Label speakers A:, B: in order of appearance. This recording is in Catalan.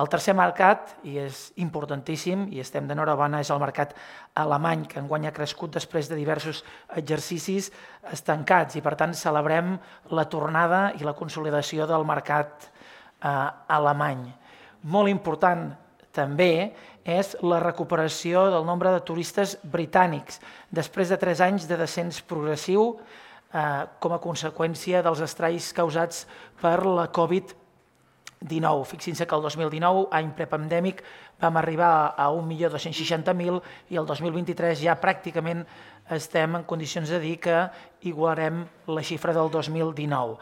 A: El tercer mercat, i és importantíssim, i estem d'enhorabona, és el mercat alemany, que enguany ha crescut després de diversos exercicis estancats i, per tant, celebrem la tornada i la consolidació del mercat alemany. Molt important també és la recuperació del nombre de turistes britànics després de 3 anys de descens progressiu com a conseqüència dels estralls causats per la Covid-19. Fixin-se que el 2019, any prepandèmic, vam arribar a 1.260.000 i el 2023 ja pràcticament estem en condicions de dir que igualarem la xifra del 2019.